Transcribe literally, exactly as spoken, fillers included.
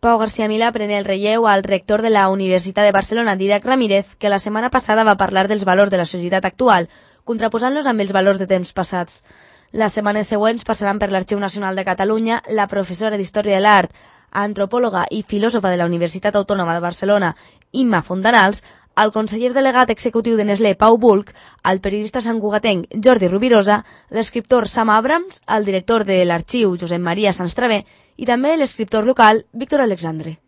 Pau García Milà pren el relleu al rector de la Universitat de Barcelona, Dídac Ramírez, que la setmana passada va parlar dels valors de la societat actual, contraposant-los amb els valors de temps passats. Les setmanes següents passaran per l'Arxiu Nacional de Catalunya la professora d'Història de l'Art, antropòloga i filòsofa de la Universitat Autònoma de Barcelona, Imma Fontanals, el conseller delegat executiu de Nestlé, Pau Bulc, el periodista santcugatenc Jordi Rubirosa, l'escriptor Sam Abrams, el director de l'Arxiu, Josep Maria Sanstravé, i també l'escriptor local Víctor Alexandre.